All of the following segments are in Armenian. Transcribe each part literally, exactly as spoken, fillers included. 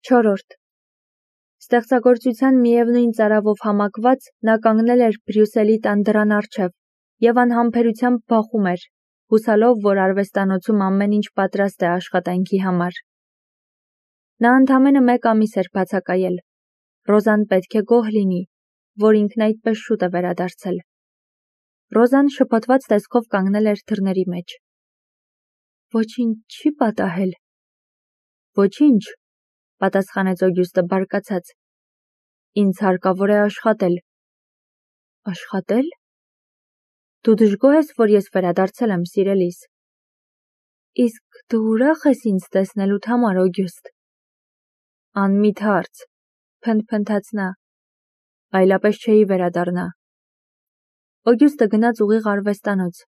Չորրորդ. Ստեղծագործության միևնույն ծարավով համակված նա կանգնել էր Բրյուսելի տան դռան առջև և անհամբերությամբ բախում էր, հուսալով, որ արվեստանոցում ամեն ինչ պատրաստ է աշխատանքի համար։ Նա ընդամենը մեկ ամիս էր բացակայել։ Ռոզան պետք է գոհ լինի, որ ինքն այդպես շուտ է վերադարձել։ Ռոզան շփոթված տեսքով կանգնել էր դռների մեջ։ Ոչինչ չի պատահել։ Ոչինչ, պատասխանեց Օգյուստը բարկացած։ Ինձ հարկավոր է աշխատել։ Աշխատել։ Դու դժգոհ ես, որ ես վերադարձել եմ, սիրելիս։ Իսկ դու ուրախ ես ինձ տեսնելուդ համար, Օգյուստ։ Անմիտ հարց, փնթփնթաց նա։ Այլապես չէի վերադառնա։ Օգյուստը գնաց ուղիղ արվեստանոց։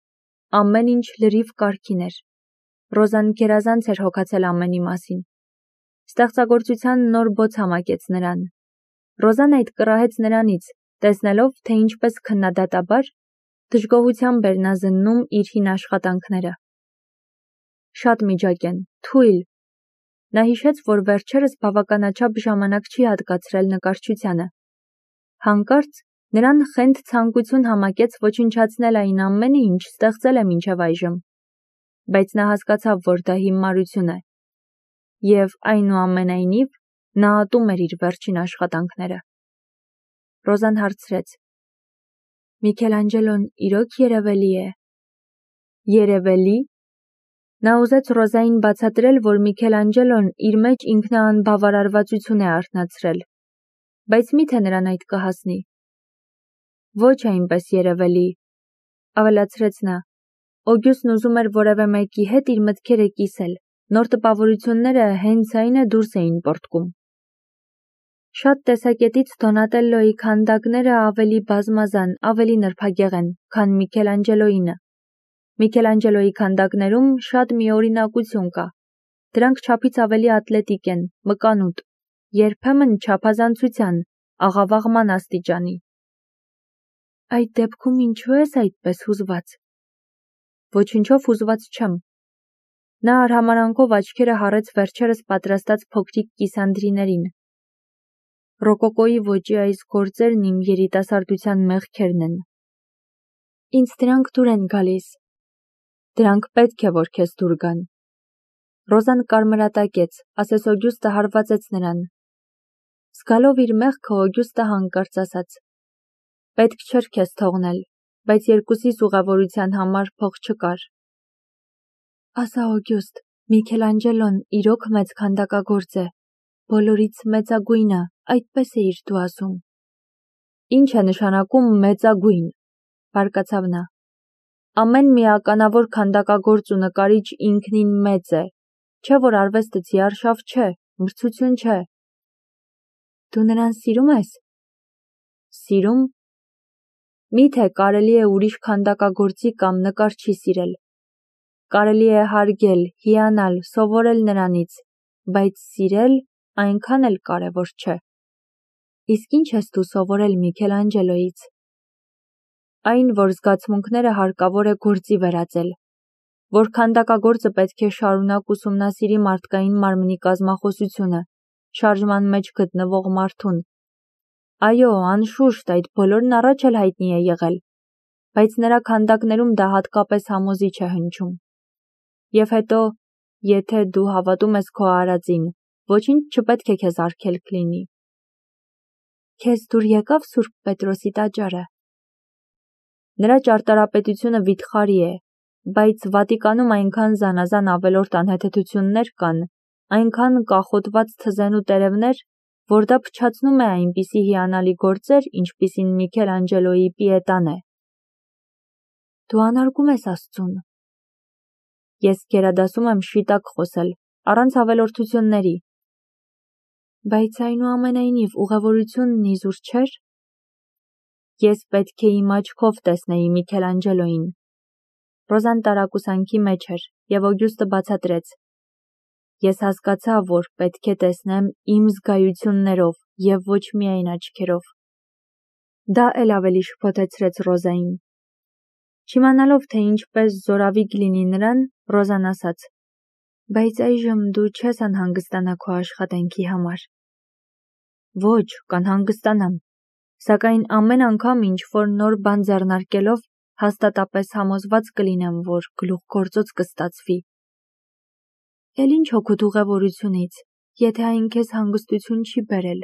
Ամեն ինչ լրիվ կարգին էր։ Ռոզան գերազանց էր հոգացել ամենի մասին։ Ստեղծագործության նոր բոց համակեց նրան։ Ռոզան այդ կռահեց նրանից, տեսնելով, թե ինչպես քննադատաբար դժգոհությամբ էր նա զննում իր հին աշխատանքները։ Շատ միջակ են, թույլ։ Նա հիշեց, որ վերջերս բավականաչափ ժամանակ չի հատկացրել նկարչությանը։ Հանկարծ նրան խենթ ցանկություն համակեց ոչնչացնել այն ամենը, ինչ ստեղծել է մինչև այժմ։ Բայց նա հասկացավ, որ դա հիմարություն է։ Եվ այնուամենայնիվ նա ատում էր իր վերջին աշխատանքները։ Ռոզան հարցրեց. Միքելանջելոն իրոք երևելի է։ Երևելի։ Նա ուզեց Ռոզային բացատրել, որ Միքելանջելոն իր մեջ ինքնաանբավարարվածություն է արթնացրել, բայց միթե նրան այդ կհասնի։ Ոչ այնպես երևելի, ավելացրեց նա։ Օգյուստն ուզում էր որևէ մեկի հետ իր մտքերը կիսել, նոր տպավորությունները հենց այն է դուրս էին պոռթկում։ Շատ տեսակետից Դոնատելլոյի քանդակները ավելի բազմազան, ավելի նրբագեղ են, քան Միքելանջելոյինը։ Միքելանջելոյի քանդակներում շատ միօրինակություն կա։ Դրանք չափից ավելի ատլետիկ են, մկանուտ, երբեմն չափազանցության, աղավաղման աստիճանի։ Այդ դեպքում ինչու ես այդպես հուզված։ Ոչինչով հուզված չեմ։ Նա արհամարանքով աչքերը հառեց վերջերս պատրաստած փոքրիկ կիսանդրիներին։ Ռոկոկոյի ոճի այս գործերն իմ երիտասարդության մեղքերն են։ Ինձ դրանք դուր են գալիս։ Դրանք պետք է, որ քեզ դուր գան։ Ռոզան կարմրատակեց, ասես Օգյուստը հարվածեց նրան։ Զգալով իր մեղքը Օգյուստը հանկարծ ասաց. Պետք չէր քեզ թողնել, բայց երկուսիս ուղևորության համար փող չկար։ Ասա Օգյուստ, Միքելանջելոն իրոք մեծ քանդակագործ է, բոլորից մեծագույնը, այդպես էիր դու ասում։ Ինչ է նշանակում մեծագույն, բարկացավ նա։ Ամեն մի ականավոր քանդակագործ ու նկարիչ ինքնին մեծ է, չէ որ արվեստը ձիարշավ չէ, մրցություն չէ։ Դու նրան սիրում ես։ Սիրում։ Միթե կարելի է ուրիշ քանդակագործի կամ նկարչի սիրել։ Կարելի է հարգել, հիանալ, սովորել նրանից, բայց սիրել այնքան էլ կարևոր չէ։ Իսկ ինչ ես դու սովորել Միքելանջելոյից։ Այն, որ զգացմունքները հարկավոր է գործի վերածել, որ քանդակագործը պետք է շարունակ ուսումնասիրի մարդկային մարմնի կազմախոսությունը, շարժման մեջ գտնվող մարդուն։ Այո, անշուշտ, այդ բոլորն առաջ էլ հայտնի է եղել, բայց նրա քանդակներում դա հատկապես համոզիչ է հնչում։ Եվ հետո, եթե դու հավատում ես քո արածին, ոչինչ չպետք է քեզ արգելք լինի։ Քեզ դուր եկավ Սուրբ Պետրոսի տաճարը։ Նրա ճարտարապետությունը վիթխարի է, բայց Վատիկանում այնքան զանազան ավելորդ անհեթեթություններ կան, այնքան կախոտված թզեն ու տերևներ, որ դա փչացնում է այնպիսի հիանալի գործեր, ինչպիսին Միքելանջելոյի Պիետան է։ Դու անարգում ես Աստծուն։ Ես գերադասում եմ շիտակ խոսել, առանց ավելորդությունների։ Բայց այնուամենայնիվ ուղևորությունն իզուր չէր։ Ես պետք է իմ աչքով տեսնեի Միքելանջելոյին։ Ռոզան տարակուսանքի մեջ էր, և Օգյուստը բացատրեց. Ես հասկացա, որ պետք է տեսնեմ իմ զգայություններով և ոչ միայն աչքերով։ Դա էլ ավելի շփոթեցրեց Ռոզային։ Չիմանալով, թե ինչպես զորավիգ լինի նրան, Ռոզան ասաց. Բայց այժմ դու չես անհանգստանա քո աշխատանքի համար։ Ոչ, կանհանգստանամ, սակայն ամեն անգամ ինչ որ նոր բան ձեռնարկելով հաստատապես համոզված կլինեմ, որ գլուխգործոց կստացվի։ Էլ ինչ հոգուտ ուղևորությունից, եթե այն քեզ հանգստություն չի բերել։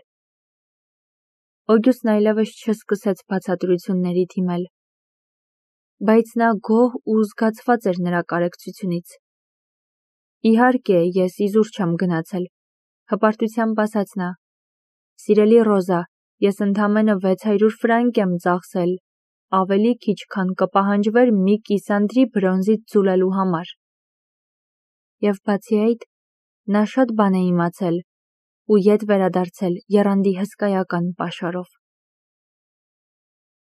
Օգյուստն այլևս չսկսեց բացատրությունների դիմել, բայց նա գոհ ու զգացված էր նրա կարեկցությունից։ Իհարկե, ես իզուր չեմ գնացել, հպարտությամբ ասաց նա։ Սիրելի Ռոզա, ես ընդամենը վեց հարյուր ֆրանկ եմ ծախսել, ավելի քիչ, քան կպահանջվեր մի կիսանդրի բրոնզից ձուլելու համար։ Եվ բացի այդ, նա շատ բան է իմացել ու ետ վերադարձել եռանդի հսկայական պաշարով։